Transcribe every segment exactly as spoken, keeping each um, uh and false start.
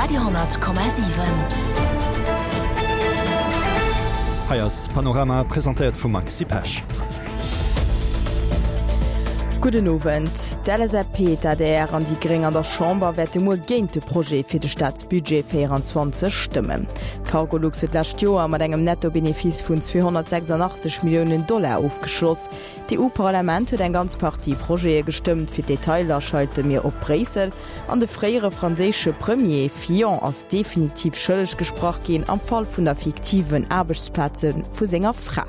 Radio honnert Komma siwen. Hei ass Panorama, presentéiert vum Maxi Pesch. Gudden Owend. D'LSAP, d'ADR an déi Gréng an der Chamber wäerte muer géint de Projet fir de Staatsbudget véierundzwanzeg stëmmen. D'Cargolux huet d'lescht Joer mat engem Netto-Benefice vun zweehonnertsechsandachtzeg Milliounen Dollar ofgeschloss. D'EU-Parlament huet eng ganz Partie Projete gestëmmt. Fir d'Detailer schalte mir op Bréissel. An de fréiere franséische Premier Fillon ass definitiv schëlleg gesprach ginn am Fall vun der fiktiven Aarbechtsplaze vu senger Fra.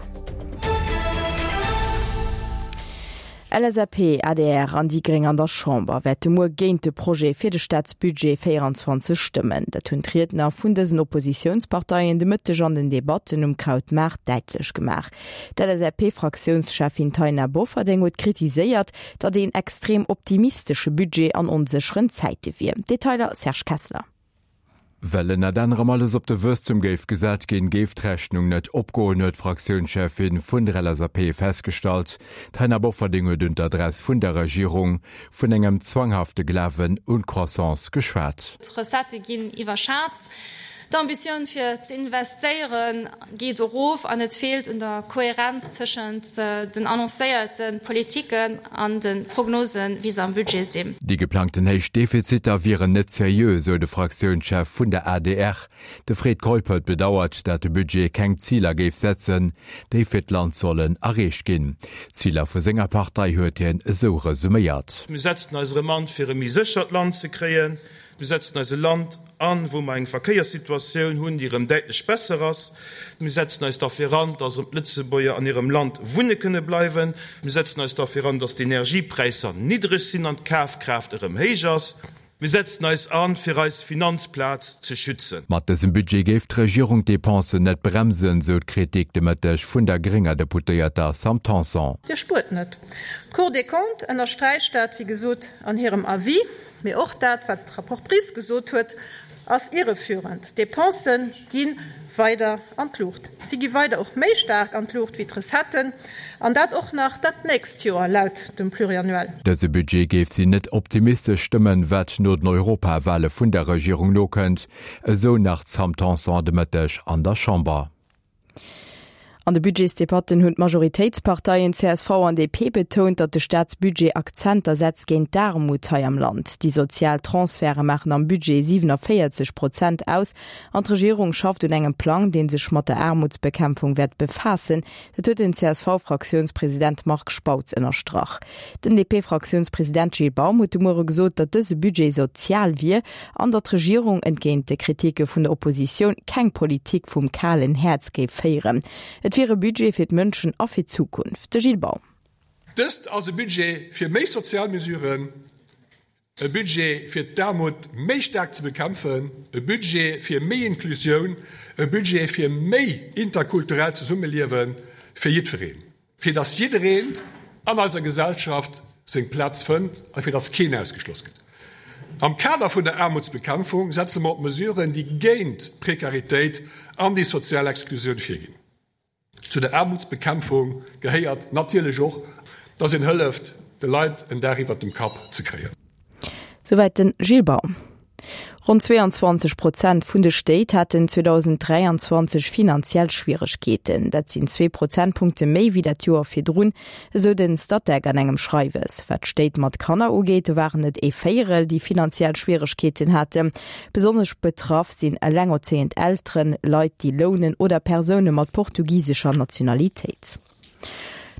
LSAP, adr an déi Gréng an der Chamber wäerte muer géint de Projet fir de Staatsbudget véierundzwanzeg stëmmen. Dat hunn d'Riedner vun dësen Oppositiounsparteien de Mëtteg an den Debatten um Krautmaart däitlech gemaach. D'LSAP-Fraktiounscheffin Taina Bofferding huet kritiséiert, datt een extrem optimistesche Budget an onsécheren Zäite wier. Detailer Serge Kessler. Well ënnert anerem alles op de Wuesstum géif gesat ginn, géif d'Rechnung net opgoen, huet d'Fraktiounscheffin vun der L S A P festgestallt. D'Taina Bofferding huet un d'Adress vun der Regierung vun engem zwanghafte Glawen un d'Croissance geschwat. D'Recettë ginn iwwerschat, d'Ambitioun fir ze investéiere geet erof an et feelt un der Kohärenz tëschent den annoncéierte Politiken an de Prognosen, wéi se am Budget sinn. Déi geplangten héich Defiziter wieren net seriö, sou de Fraktiounschef vun der A D R. De Fred Keup huet bedauert, dat de Budget keng Ziler géif setzen, déi fir d'Land sollen erreecht ginn. D'Ziler vu senger Partei huet hien esou resuméiert. Mir setzen eis erëm an, fir e méi séchert Land ze kréien. Mir setzen eis e Land an, wou mer eng Verkéierssituatioun hunn, déi erëm däitlech besser ass. Mir setzen eis derfir an, dass erëm d'Lëtzebuerger an hirem Land wunne kënne bleiwen. Mir setzen eis derfir an, dass d'Energiepräisser niddreg sinn an d'Kafkraaft erëm héich ass. Mir setzen eis an, fir eis Finanzplaz ze schützen. Mat dësem Budget géif d'Regierung d'Depensen net bremsen, sou d'Kritik de Mëtteg vun der grénger Deputéierter Sam Tanson. Dir spuert net. D'Cour des Comptes ënnersträicht dat, wéi gesot, an hirem Avis, mee och dat, wat d'Rapportrice gesot huet, ass irreführend. D'Depensë gi weider an d'Luucht. Si gi weider och méi staark an d'Luucht wéi d'Recetten, an dat och nach dat nächst Joer laut dem Pluriannuel. Dëse Budget géif si net optimistesch stëmmen, wat no den Europawale vun der Regierung nokënnt, esou nach d'Sam Tanson de Mëtteg an der Chamber. An de Budgetsdebatten hunn d'Majoritéitsparteien C S V an D P betount, datt de Staatsbudget Akzenter setzt géint d'Aarmut hei am Land. Déi sozial Transferte maachen am Budget siewenundvéierzeg Prozent aus an d'Regierung schafft un engem Plang, dee sech mat der Aarmutsbekämpfung wäert befaassen. Dat huet den C S V-Fraktiounspresident Marc Spautz ënnerstrach. Den D P-Fraktiounspresident Gilles Baum huet de Muere gesot, datt dëse Budget sozial wier an datt d'Regierung entgéint de Kritike vun der Oppositioun keng Politik vum kalen Häerz géif féieren. Et wier e Budget fir d'Mënschen a fir d'Zukunft. De Gilles Baum. Dëst ass e Budget fir méi sozial Mesuren, e Budget fir d'Aarmut méi staark ze bekämpfen, e Budget fir méi Inklusioun, e Budget fir méi interkulturellt Zesummeliewe fir jiddwereen. Fir datt jiddereen an eiser Gesellschaft seng Plaz fënnt a fir datt keen ausgeschloss gëtt. Am Kader vun der Aarmutsbekämpfung setze mer op Mesuren, déi géint d'Prekaritéit an déi sozial Exklusioun virginn. Zu der Aarmutsbekämpfung gehéiert natierlech och, datt een hëlleft, de Leit en Daach iwwer dem Kapp ze kréien. Souwäit den Gilles Baum. Ronn zweeanzwanzeg Prozent vun de Stéit haten zweedausend dräianzwanzeg finanziell Schwieregkeeten. Dat sinn zwee Prozentpunkte méi wéi dat Joer virdrun, esou den Statec an engem Schreiwes. Wat Stéit mat Kanner ugeet, waren et ee Véierel, déi finanziell Schwieregkeeten haten. Besonnesch betraff sinn elengerzéiend Elteren, Leit, déi lounen oder Persoune mat portugisescher Nationalitéit.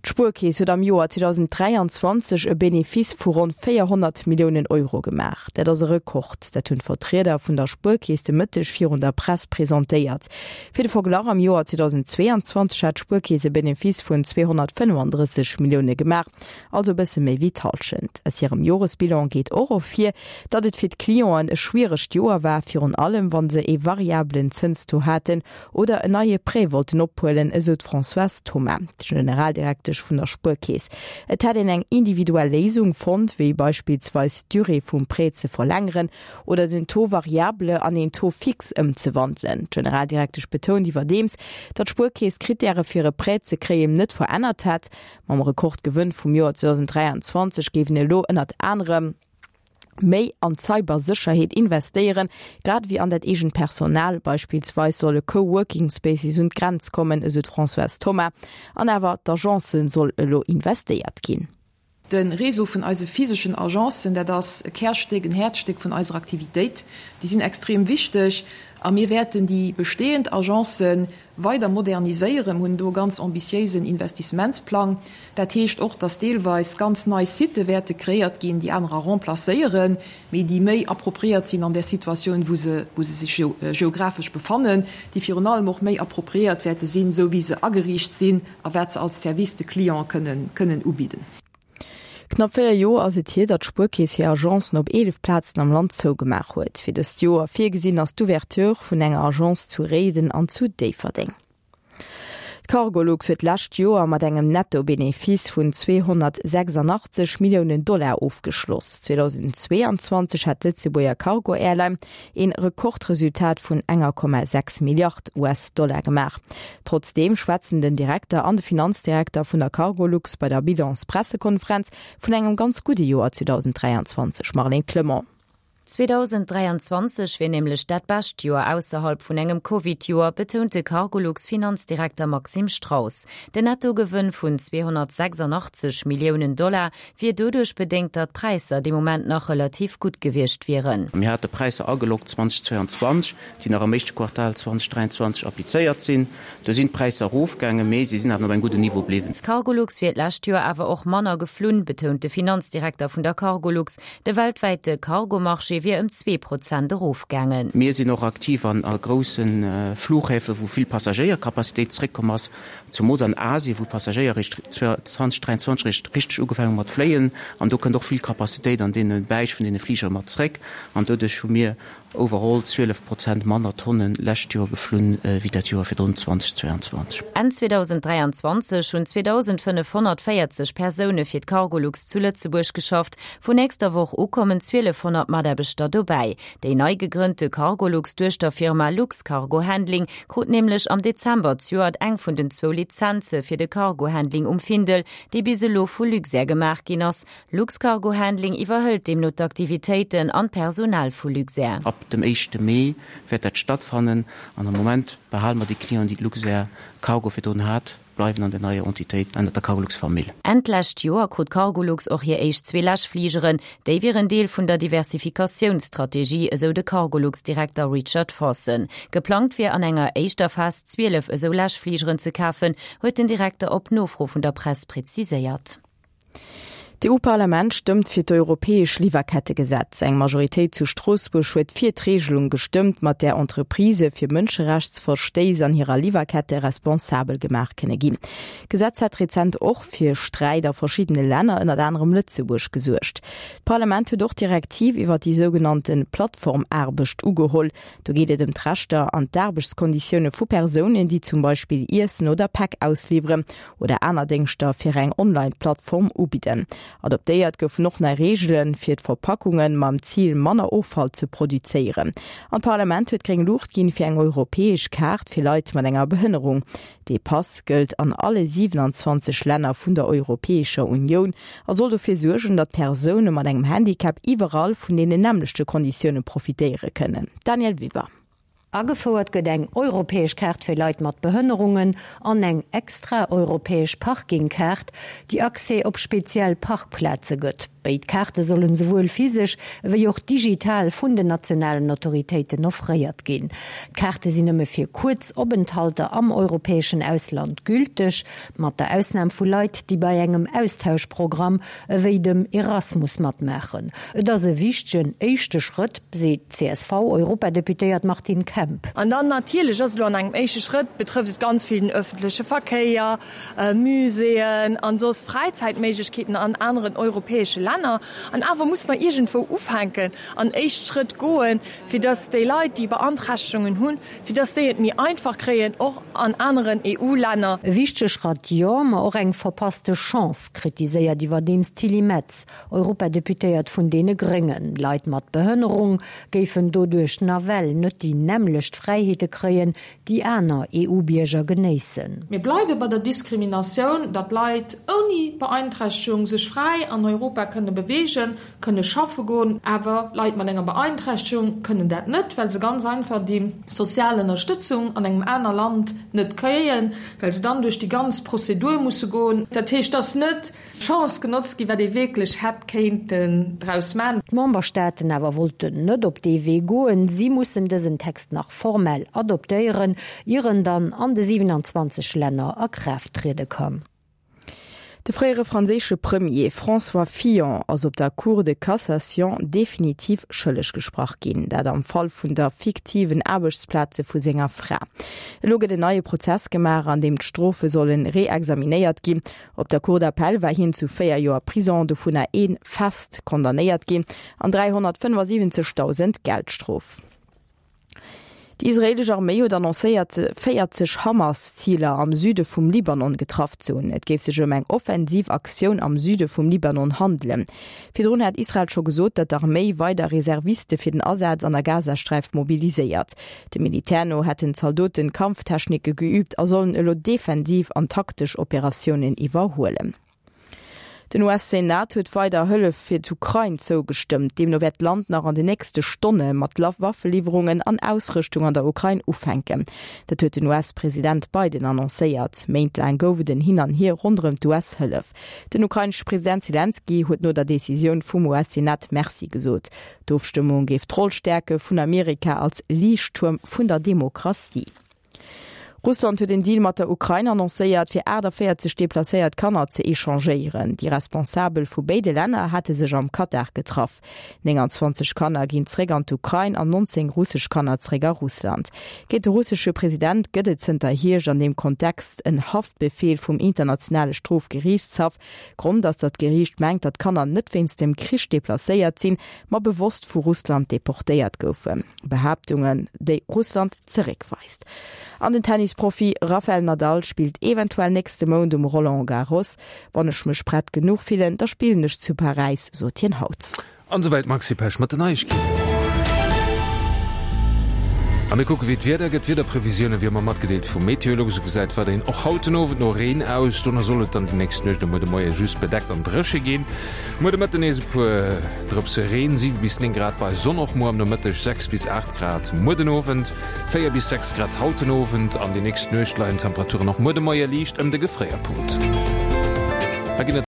D'Spuerkeess huet am Joer zweedausend dräianzwanzeg e Benefice vu ronn véierhonnert Milliounen Euro gemaach. Dat ass e Rekord. Dat hunn d'Vertrieder vun der Spuerkeess de Mëtteg virun der Press presentéiert. Fir de Verglach, am Joer zweedausend zweeanzwanzeg hat d'Spuerkeess e Benefice vun zweehonnertfënnefandrësseg Millioune gemaach, also e bësse méi wéi d'Hallschent. Aus hirem Joresbilan geet och ervir, datt et fir d'Clienten e schwieregt Joer war, virun allem wann se e variablen Zënstaux haten oder en neie Prêt wollten ophuelen, esou d'Françoise Thoma, d'Generaldirektesch vun der Spuerkeess. Et hätt een eng individuell Léisung fonnt, wéi beispillsweis d'Durée vum Prêt ze verlängeren oder den Taux variable an een Taux fixe ëmzewandelen. D'Generaldirektesch betount iwwerdeems, datt d'Spuerkeess d'Krittäre fir e Prêt ze kréien net verännert hätt. Mam Rekordgewënn vum Joer zweedausend dräianzwanzeg géifen elo ënnert anerem Méi an d'Cybersécherheet investéieren, grad ewéi an dat eegent Personal. Beispillsweis solle Co-Working Spaces un d'Grenz kommen, esou d'Françoise Thoma. An awer d'Agencen soll elo investéiert ginn. De Réseau vun eise physeschen Agencen, dat ass e Kärstéck, en Häerzstéck vun eiser Aktivitéit. Déi sinn extrem wichteg a mir wäerten déi bestehend Agencë weider moderniséieren. Mir hunn do e ganz ambitiéisen Investissementsplang. Dat heescht och, dass deelweis ganz nei Sitë wäerte kreéiert ginn, déi anerer remplacéieren, mee déi méi appropriéiert sinn an där Situatioun, wou se, wou se sech geographesch befannen, déi virun allem och méi appropriéiert wäerte sinn, esou wéi se ageriicht sinn a wat se als Service de Client kënnen, kënnen ubidden. Knapp véier Joer ass et hier, datt d'Spuerkeess hir Agencen op eelef Plazen am Land zougemaach huet. Fir dëst Joer virgesinn ass d'Ouverture vun enger Agence zu Réiden an zu Déifferdeng. D'Cargolux huet d'lescht Joer mat engem Netto-Benefice vun zweehonnertsechsandachtzeg Milliounen Dollar ofgeschloss. zweedausendzweeanzwanzeg hat d'Lëtzebuerger Cargo-Airline een Rekordresultat vun enger Komma sechs Milliard US-Dollar gemaach. Trotzdeem schwätzen den Direkter an de Finanzdirekter vun der Cargolux bei der Bilans-Pressekonferenz vun engem ganz gudde Joer zweedausenddräianzwanzeg. Marlène Clement. zweedausenddräianzwanzeg wier nämlech dat bescht Joer ausserhalb vun engem Covid-Joer, betount de Cargolux-Finanzdirekter Maxime Strauss. Den Nettogewënn vun zweehonnertsechsandachtzeg Milliounen Dollar wier doduerch bedéngt, datt d'Präisser dee Moment nach relativ gutt gewiescht wieren. Mir hate Präisser ageloggt zweedausendzweianzwanzeg, déi nach am éischte Quartal zweedausenddräianzwanzeg applizéiert sinn. Do sinn d'Präisser erofgaangen, mee si sinn awer op engem gudden Niveau bliwwen. D'Cargolux wier d'lescht Joer awer och manner geflunn, betount de Finanzdirekter vun der Cargolux. De weltwäite Cargomarché wier ëm zwee Prozent erofgaangen. Mir sinn och aktiv an a grousse Flughäfe wou vill Passagéiercapacitéit zréckkomm ass, zumools an Asien, wou d'Passagéier eréischt zweedausenddräianzwanzeg eréischt richteg ugefaangen hu mat fléien. An do kënnt och vill Capacitéit an deene Beräich vun deene Fligere mat zréck. An doduerch hu mir overall zwielef Prozent manner Tonnen lescht Joer geflunn wéi dat Joer virdrun, zweedausendzweianzwanzeg. Enn zweedausenddräianzwanzeg hunn zweedausendfënnefhonnertvéierzeg Persoune fir d'Cargolux zu Lëtzebuerg geschafft. Vun nächster Woch u kommen zwielefhonnert Mataarbechter dobäi. Déi nei gegrënnte Cargolux-Duechterfirma Luxcargo Handling krut nämlech am Dezember zejoert eng vun den zwou Lizenze fir de Cargo-Handling um Findel, déi bis elo vu Luxair gemaach ginn ass. Luxcargo Handling iwwerhëlt deemno d'Aktivitéiten an d'Personal vu Luxair. Ab dem éischte Mee wäert dat stattfannen an am Moment behale mer déi Clienten, déi d'Luxair Cargo virdrun hat, bleiwen an der neier Entitéit ënnert der Cargolux-Famill. Enn d'lescht Joer krut Cargolux och hir éischt zwee Läschfligeren. Déi wieren Deel vun der Diversifikatiounsstrategie, esou de Cargolux-Direkter Richard Forson. Geplangt wier an enger éischter Phas zwielef esou Läschfligeren ze kafen, huet den Direkter op Nofro vun der Press präziséiert. D'EU-Parlament stëmmt fir d'europäesch Liwwerkettegesetz. Eng Majoritéit zu Stroossbuerg huet fir d'Reegelung gestëmmt, mat där Entreprisë fir Mënscherechtsverstéiss an hirer Liwwerkette responsabel gemaach kënne ginn. D'Gesetz hat rezent och fir Sträit a verschiddene Länner, ënnert anerem Lëtzebuerg, gesuergt. D'Parlament huet och d'Direktiv iwwer déi sougenannte Plattformaarbecht ugeholl. Do geet et ëm d'Rechter an d'Aarbechtskonditioune vu Persounen, déi zum Beispill Iessen oder Päck ausliwweren oder aner Déngschter fir eng Online-Plattform ubidden. Adoptéiert goufen och nei Reegele fir d'Verpackungen, mam Zil manner Offall ze produzéieren. An d'Parlament huet gréng Luucht ginn fir eng europäesch Kaart fir Leit mat enger Behënnerung. Dee Pass gëllt an alle siewenanzwanzeg Länner vun der Europäescher Unioun a soll dofir suergen, datt Persoune mat engem Handicap iwwerall vun deenen nämmlechte Konditioune profitéiere kënnen. Danièle Weber. Agefouert gëtt eng europäesch Kaart fir Leit mat Behënnerungen an eng extra europäesch Parkingkaart, déi Accès op speziell Parkplaze gëtt. Béid Kaarte sollen souwuel physesch ewéi och digital vun den nationalen Autoritéiten offréiert ginn. D'Kaarte sinn nëmme fir kuerz Openthalter am europäeschen Ausland gülteg, mat der Ausnam vu Leit, déi bei engem Austauschprogramm ewéi dem Erasmus matmaachen. Et ass e wichtegen éischte Schrëtt, seet d'CSV-Europadeputéiert Martine Kemp. An dann natierlech ass elo an engem éischte Schrëtt, betrëfft et ganz vill den öffentleche Verkéier, Muséeën an soss Fräizäitméiglechkeeten an aneren europäesche Länner. An awer muss mer iergendwou ufänken an éischt Schrëtt goen, fir dass déi Leit, déi Beanträchtegungen hunn, fir dass déi et méi einfach kréien, och an aneren E U-Länner. E wichtege Schratt, jo, ma och eng verpasste Chance, kritiséiert iwwerdeems d'Tilly Metz, Europadeputéiert vun deene Gréngen. Leit mat Behënnerung géifen doduerch nawell net déi nämmlecht Fräiheete kréien, déi aner E U-Bierger genéissen. Mir bleiwe bei der Diskriminatioun, datt Leit ouni Beeinträchtegung sech fräi an Europa kënnen kënne beweegen, kënne schaffe goen, awer Leit mat enger Beeinträchtegung kënnen dat net, well se ganz einfach déi sozial Ënnerstëtzung an engem aner Land net kréien, well se dann duerch déi ganz Prozedur musse goen. Dat heescht, et ass net d'Chance genotzt ginn, wat ee wierklech hätt kéinten draus man. D'Memberstaaten awer wollten net op dee Wee goen. Si mussen dësen Text nach formell adoptéieren, ier en dann an de siewenundzwanzeg Länner a Kraaft triede kann. De fréiere franséische Premier François Fillon ass op der Cour de Cassation definitiv schëlleg gesprach ginn, dat am Fall vun der fiktiven Aarbechtsplaze vu senger Fra. Elo gëtt en neie Prozess gemaach, an deem d'Strofe solle reexaminéiert ginn. Op der Cour d'appel war hien zu véier Joer Prison, dovunner ee fest, condamnéiert ginn an dräihonnertfënnefasiwwenzegdausend Geldstrof. Déi israeelesch Arméi huet annoncéiert, véierzeg Hamas-Ziler am Süde vum Libanon getraff ze hunn. Et géif sech ëm eng offensiv Aktioun am Süde vum Libanon handelen. Virdrun hat Israel scho gesot, datt d'Arméi weider Reserviste fir den Asaz an der Gazasträif mobiliséiert. Dem Militär no hätten Zaldoten Kampftechnike geüübt a sollen elo defensiv an taktesch Operatiounen iwwerhuelen. Den U S-Senat huet weider Hëllef fir d'Ukrain zougestëmmt. Deemno wäert d'Land nach an den nächste Stonne mat Waffeliwwerungen an Ausrëschtung an der Ukrain ufänken. Dat huet den U S-President Biden annoncéiert. Méintlaang gouf et en Hin an Hier ronderëm d'U S-Hëllef. Den ukrainesche President Selenskyj huet no der Decisioun vum U S-Senat Merci gesot. D'Ofstëmmung géif d'Roll stäerke vun Amerika als Liichttuerm vun der Demokratie. Russland huet en Deal mat der Ukrain annoncéiert, fir aachtavéierzeg deplacéiert Kanner ze echangéieren. Déi Responsabel vu béide Länner hate sech am Katar getraff. Nénganzwanzeg Kanner ginn zeréck an d'Ukrain an nonzéng russesch Kanner zeréck a Russland. Géint de russesche President gëtt et zënter Hierscht an deem Kontext en Haftbefeel vum Internationale Strofgeriichtshaff. Grond ass, datt d'Geriicht mengt, datt d'Kanner net wéinst dem Krich deplacéiert sinn, ma bewosst vu Russland deportéiert goufen. Behaaptungen, déi Russland zeréckweist. An den Tennisprofi Rafael Nadal spillt eventuell nächste Mount um Roland Garros. Wann ech mech prett genuch fillen, da spillen ech zu Paräis, sot hien haut. An esouwäit d'Maxi Pesch mat den Neiegkeeten. A mir kucke wéi d'Wieder gëtt. D'Wiederprevisioune wéi ëmmer matgedeelt vu Meteolux. Esou gesäit weiderhin och haut den Owend no Reen aus. Dono soll et dann déi nächst Nuecht a muer de Moie just bedeckt an dréche ginn. Muer de Mëtten nees e puer Drëpse Reen, siwe bis néng Grad bei Sonn och muer am Nomëtteg, sechs bis aacht Grad muer den Owend, véier bis sechs Grad haut den Owend an déi nächst Nuecht leien d'Temperaturen och muer de Moie liicht ëm de Gefréierpunkt. Hei ginn et.